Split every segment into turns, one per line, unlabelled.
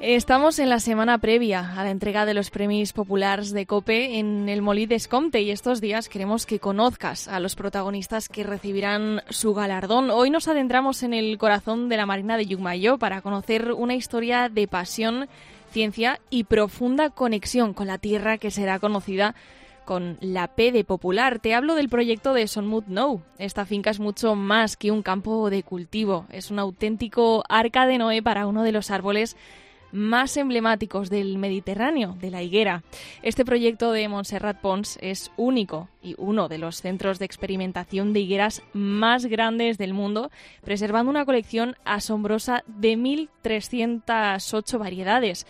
Estamos en la semana previa a la entrega de los Premis Populars de COPE en el Molí d'Escomte y estos días queremos que conozcas a los protagonistas que recibirán su galardón. Hoy nos adentramos en el corazón de la Marina de Llucmajor para conocer una historia de pasión, ciencia y profunda conexión con la tierra que será conocida con la P de Popular. Te hablo del proyecto de Son Mut Nou. Esta finca es mucho más que un campo de cultivo. Es un auténtico arca de Noé para uno de los árboles más emblemáticos del Mediterráneo, de la higuera. Este proyecto de Montserrat Pons es único y uno de los centros de experimentación de higueras más grandes del mundo, preservando una colección asombrosa de 1.308 variedades.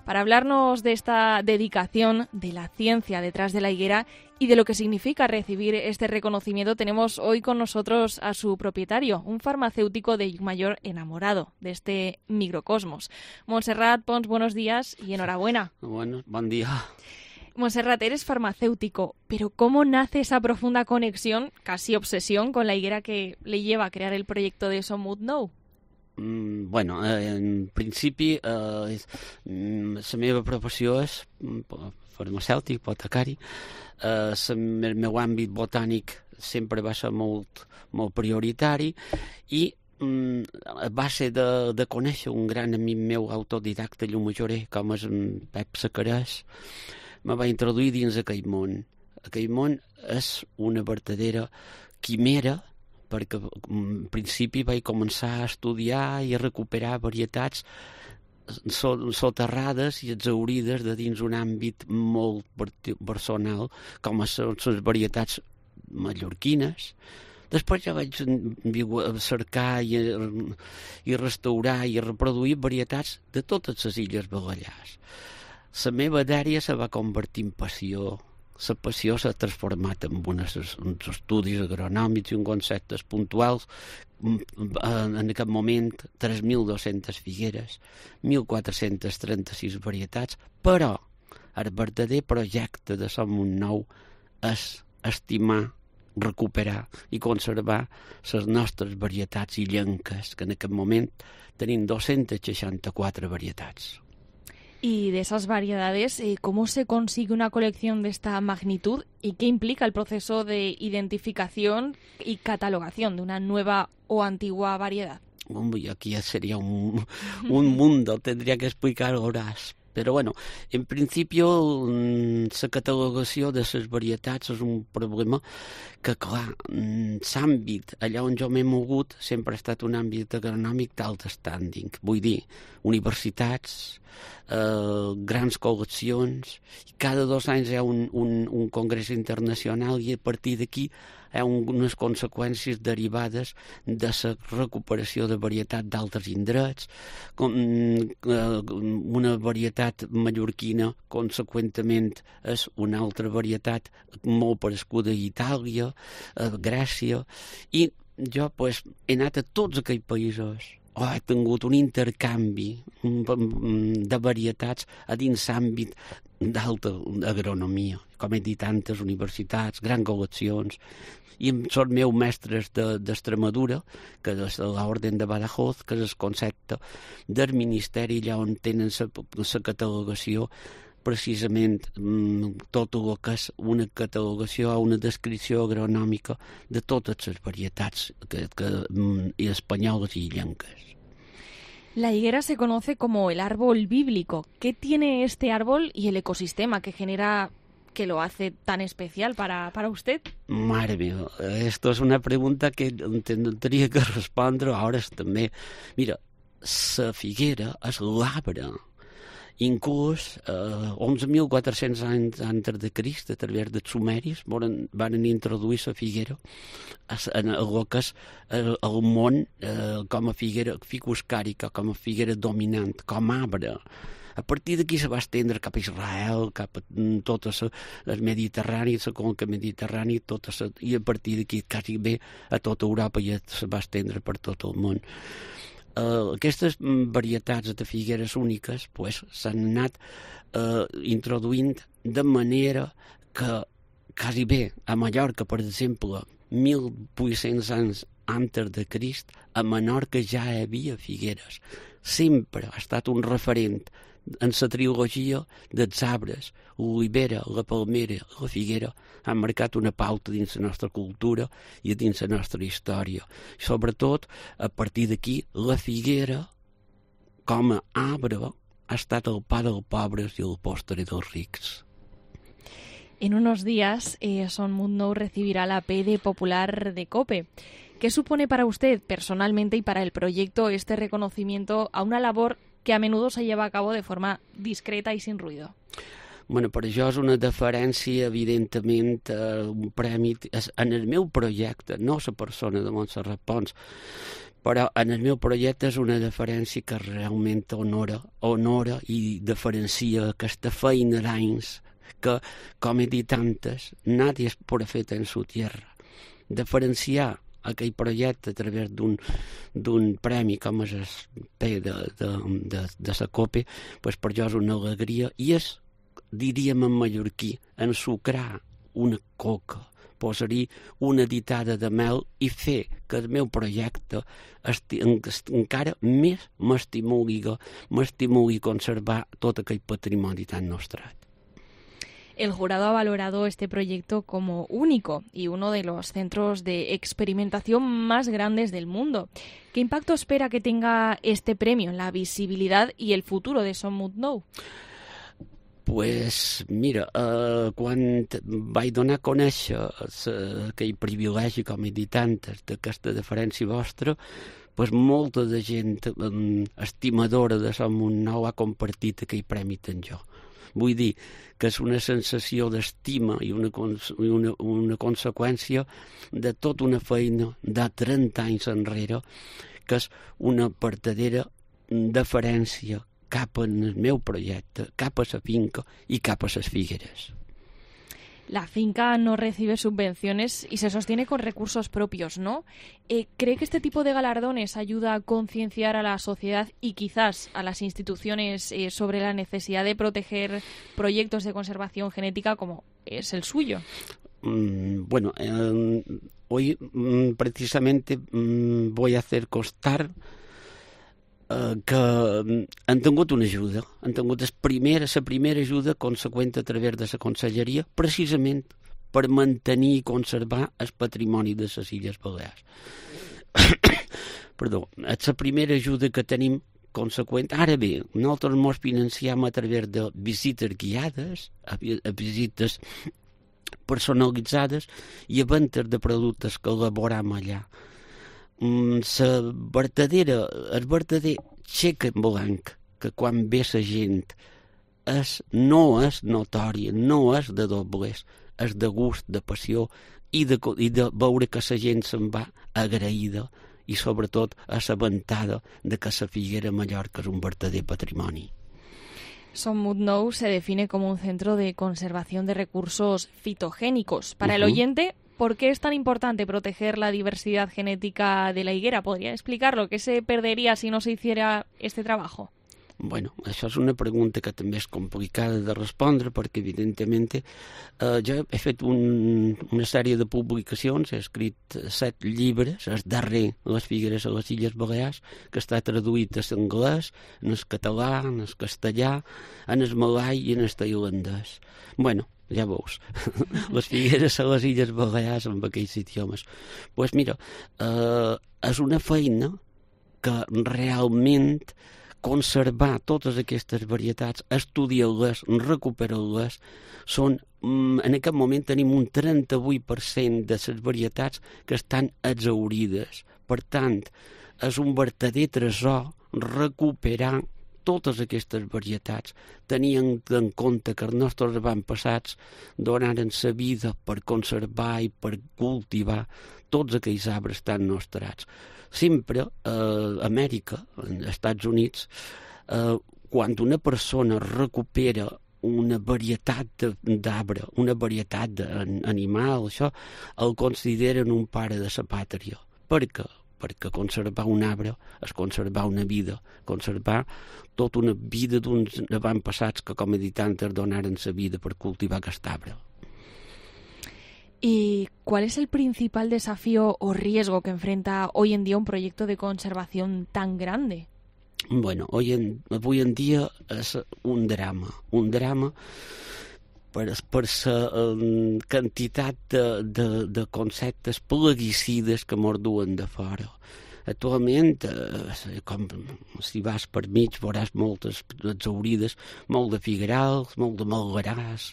Para hablarnos de esta dedicación, de la ciencia detrás de la higuera y de lo que significa recibir este reconocimiento, tenemos hoy con nosotros a su propietario, un farmacéutico de Llucmajor enamorado de este microcosmos. Montserrat Pons, buenos días y enhorabuena.
Bueno, buen día.
Montserrat, eres farmacéutico, pero ¿cómo nace esa profunda conexión, casi obsesión, con la higuera que le lleva a crear el proyecto de Son Mut Nou?
Bueno, en principi la meva professió és farmacèutic, botacari. El meu àmbit botànic sempre va ser molt prioritari i a base de conèixer un gran amic meu autodidacta llumajorer com és en Pep Sacarès, me va introduir dins aquell món. Aquell món és una verdadera quimera, perquè en principi vaig començar a estudiar i a recuperar varietats soterrades i exhaurides de dins un àmbit molt personal, com són les varietats mallorquines. Després ja vaig cercar i restaurar i rreproduir varietats de totes les illes Balears. La meva dèria se va convertir en passió. La passió s'ha transformat en uns estudis agronòmics i uns conceptes puntuals. En aquest moment, 3.200 figueres, 1.436 varietats, però el verdader projecte de Son Mut Nou és estimar, recuperar i conservar les nostres varietats illenques, que en aquest moment tenim 264 varietats.
Y de esas variedades, ¿cómo se consigue una colección de esta magnitud y qué implica el proceso de identificación y catalogación de una nueva o antigua variedad?
Aquí sería un mundo, tendría que explicar horas. Però, bueno, en principi, la catalogació de les varietats és un problema que, clar, l'àmbit allà on jo m'he mogut sempre ha estat un àmbit agronòmic d'alt standing. Vull dir, universitats, grans col·leccions, i cada 2 anys hi ha un congrés internacional i a partir d'aquí hi ha unes conseqüències derivades de la recuperació de varietat d'altres indrets, com una varietat mallorquina, conseqüentment, és una altra varietat molt parescuda a Itàlia, a Grècia, i jo he anat a tots aquells països. He tingut un intercanvi de varietats a dins l'àmbit d'alta agronomia, com he dit, tantes universitats, grans col·leccions, i són meus mestres d'Extremadura, que és l'Orden de Badajoz, que és el concepte del Ministeri, allà on tenen la catalogació, precisament tot el que és una catalogació o una descripció agronòmica de totes les varietats espanyoles i illenques.
La higuera se conoce como el árbol bíblico. ¿Qué tiene este árbol y el ecosistema que genera, que lo hace tan especial para usted?
Mare meva, esto es una pregunta que tendría que respondre a hores també. Mira, la figuera és l'arbre. Inclús 11.400 anys antes de Crist, a través dels sumeris, van introduir la figuera en el que és el món com a figuera ficus càrica, com a figuera dominant, com a arbre. A partir d'aquí se va estendre cap a Israel, cap a tot el Mediterrani, la conca mediterrània, i a partir d'aquí quasi bé a tota Europa i se va estendre per tot el món. Aquestes varietats de figueres úniques s'han anat introduint de manera que quasi bé a Mallorca, per exemple, 1.800 anys antes de Crist, a Menorca ja hi havia figueres. sempre ha estat un referent en la trilogia dels arbres. L'olivera, la palmera, la figuera han marcat una pauta dins la nostra cultura i dins la nostra història. Sobretot, a partir d'aquí, la figuera, com a arbre, ha estat el pa dels pobres i el postre dels rics.
En unos días, Son Munt Nou recibirá la PD Popular de COPE. ¿Qué supone para usted personalmente y para el proyecto este reconocimiento a una labor que a menudo se lleva a cabo de forma discreta y sin ruido?
Bueno, per això és una deferència, evidentment, un premi en el meu projecte, no la persona de Montserrat Pons, però en el meu projecte és una deferència que realment honora i diferencia aquesta feina d'anys que, com he dit antes, nadie es profeta en su tierra. Diferenciar aquell projecte a través d'un premi com és el P de la COPE, pues per jo és una alegria i és, diríem en mallorquí, ensucrar una coca, posar-hi una ditada de mel i fer que el meu projecte encara més m'estimuli conservar tot aquell patrimoni tan nostrat.
El jurado ha valorado este proyecto como único y uno de los centros de experimentación más grandes del mundo. ¿Qué impacto espera que tenga este premio en la visibilidad y el futuro de Son Munt Nou?
Pues mira, quan vaig donar a conèixer aquell privilegi, com he dit antes, d'aquesta deferència vostra, pues molta de gent estimadora de Son Munt Nou ha compartit aquell premi amb jo. Vull dir que és una sensació d'estima i una conseqüència de tota una feina de 30 anys enrere, que és una verdadera deferència cap al meu projecte, cap a la finca i cap a les figueres.
La finca no recibe subvenciones y se sostiene con recursos propios, ¿no? ¿Cree que este tipo de galardones ayuda a concienciar a la sociedad y quizás a las instituciones sobre la necesidad de proteger proyectos de conservación genética como es el suyo?
Bueno, hoy precisamente voy a hacer constar que han tingut una ajuda, han tingut la primera ajuda conseqüent a través de la Conselleria, precisament per mantenir i conservar el patrimoni de les Illes Balears. Perdó, és la primera ajuda que tenim conseqüent. Ara bé, nosaltres ens financiem a través de visites guiades, a visites personalitzades i a ventes de productes que elaboram allà. El verdader xec en blanc que quan ve la gent no és notòria, no és de doblers, és de gust, de passió i de veure que la gent se'n va agraïda i sobretot assabentada de que la Figuera Mallorca és un verdader patrimoni.
Son Munt Nou se define como un centro de conservación de recursos fitogénicos. Para el oyente, ¿por qué es tan importante proteger la diversidad genética de la higuera? ¿Podría explicarlo? ¿Qué se perdería si no se hiciera este trabajo?
Bueno, això és una pregunta que també és complicada de respondre perquè, evidentment, jo he fet una sèrie de publicacions, he escrit 7 llibres, el darrer, Les Figueres a les Illes Balears, que està traduït a l'anglès, en el català, en el castellà, en el malai i en el tailandès. Bueno, ja veus, les Figueres a les Illes Balears amb aquells idiomes. Doncs mira, és una feina que realment conservar totes aquestes varietats, estudiar-les, recuperar-les, en aquest moment tenim un 38% de les varietats que estan exhaurides. Per tant, és un verdader tresor recuperar totes aquestes varietats, tenint en compte que els nostres avantpassats donaren la vida per conservar i per cultivar tots aquells arbres tan nostrats. Sempre a Amèrica, als Estats Units, quan una persona recupera una varietat d'arbre, una varietat d'animal, això, el consideren un pare de la pàtria. Per què? Perquè conservar un arbre és conservar una vida, conservar tota una vida d'uns avantpassats que, com he dit antes, donaren la vida per cultivar aquest arbre.
¿Y cuál es el principal desafío o riesgo que enfrenta hoy en día un proyecto de conservación tan grande?
Bueno, avui en dia és un drama per la quantitat de conceptes plaguicides que mos duen de fora. Actualment, com si vas per mig, veuràs moltes exaurides, molt de figuerals, molt de malgaràs.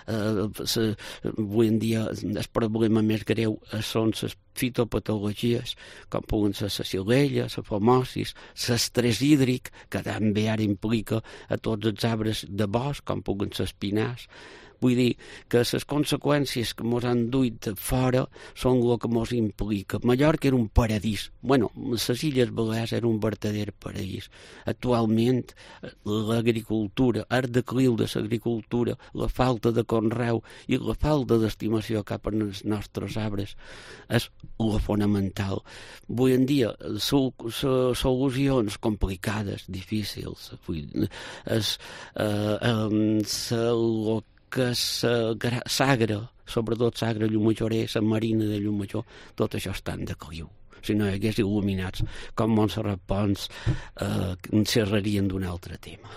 Avui en dia el problema més greu són les fitopatologies, com poden ser la xilella, la fomosis, l'estrès hídric, que també ara implica a tots els arbres de bosc, com poden ser espinars. Vull dir que les conseqüències que ens han duit fora són el que ens implica. Mallorca era un paradís. Bueno, les Illes Balears era un verdader paradís. Actualment, l'agricultura, el decliu de l'agricultura, la falta de conreu i la falta d'estimació cap als nostres arbres és la fonamental. Avui en dia, solucions complicades, difícils, que s'agra, sobretot s'agra Llumajoré, la Marina de Llumajor, tot això està en decliu. Si no hi hagués il·luminats com Montserrat Pons, xerrarien d'un altre tema.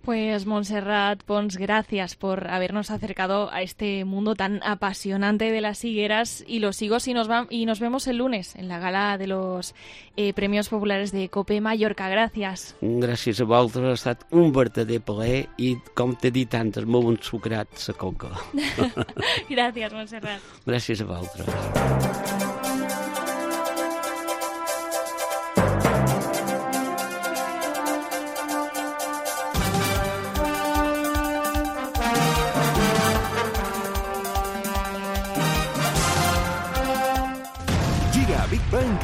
Pues Montserrat Pons, gracias por habernos acercado a este mundo tan apasionante de las higueras y los higos, y nos vemos el lunes en la gala de los Premios Populares de COPE Mallorca. Gràcies.
Gràcies a vosaltres, ha estat un verdader plaer i, com t'he dit antes, molt ensucrat la coca.
Gràcies, Montserrat.
Gràcies a vosaltres.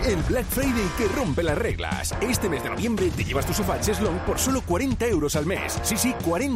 El Black Friday que rompe las reglas. Este mes de noviembre te llevas tu sofá Cheslong por solo 40 € al mes. Sí, 40